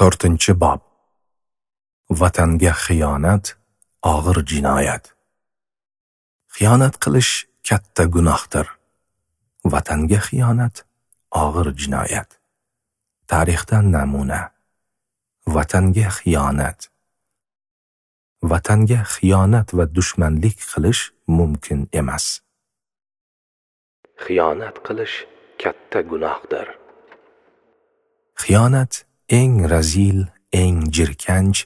4-bob. Vatanga xiyonat og'ir jinoyat. Xiyonat qilish katta gunohdir. Vatanga xiyonat og'ir jinoyat. Tarixdan namuna. Vatanga xiyonat. Vatanga xiyonat va dushmanlik qilish mumkin emas. Xiyonat qilish katta gunohdir. Xiyonat eng razil, eng jirkanch,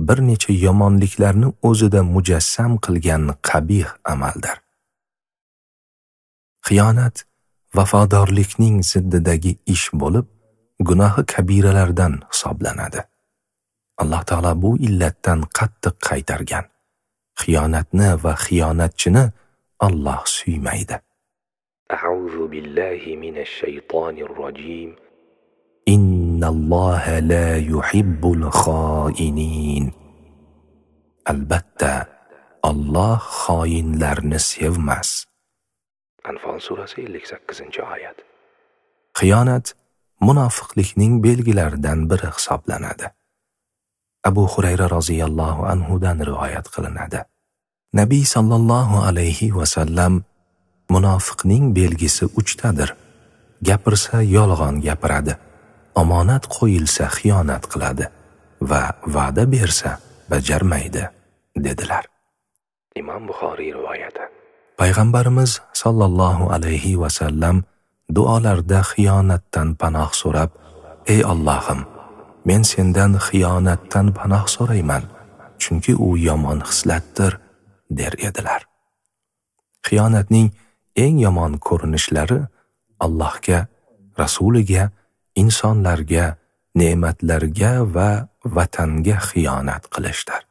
bir necha yomonliklarni o'zida mujassam qilgan qabih amaldir. Xiyonat vafodorlikning ziddidagi ish bo'lib, gunohi kabiralardan hisoblanadi. Alloh taolo bu illatdan qattiq qaytargan. Xiyonatni va xiyonatchini Alloh suymaydi. A'udhu billahi minash shaytonir rojim. Innalloha la yuhibbul xoinin. Albatta, Alloh xoinlarni sevmas. Anfal surasi 58-oyat. Xiyonat munofiqlikning belgilaridan biri hisoblanadi. Abu Hurayra roziyallohu anhu dan rivoyat qilinadi. Nabiy sallallohu alayhi va sallam munofiqning belgisi uchtadir. Gapirsa yolg'on gapiradi, omonat qo'yilsa xiyonat qiladi va va'da bersa bajarmaydi, dedilar. Imom Buxoriy rivoyati. Payg'ambarimiz sallallohu alayhi va sallam duolarda xiyonatdan panoh so'rab, "Ey Allohim, men sendan xiyonatdan panoh so'rayman, chunki u yomon xislatdir", der edilar. Xiyonatning eng yomon ko'rinishlari Allohga, Rasuliga, insonlarga, ne'matlarga va vatanga xiyonat qilishdir.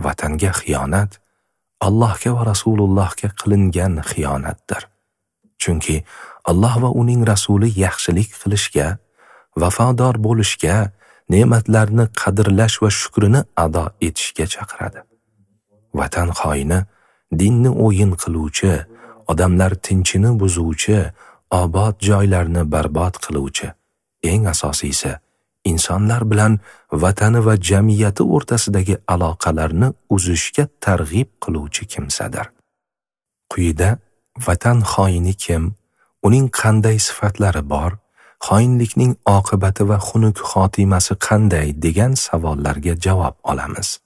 Vatanga xiyonat Allohga va Rasulullohga qilingan xiyonatdir. Chunki Alloh va uning rasuli yaxshilik qilishga, vafodor bo'lishga, ne'matlarni qadrlash va shukrini ado etishga chaqiradi. Vatan xoini, dinni o'yin qiluvchi, odamlar tinchini buzuvchi, obod joylarni barbod qiluvchi, eng asosiysi insonlar bilan vatani va jamiyati o'rtasidagi aloqalarni uzishga targ'ib qiluvchi kimsadir. Quyida vatan xoini kim, uning qanday sifatlari bor, xoinlikning oqibati va xunuk xotimasi qanday degan savollarga javob olamiz.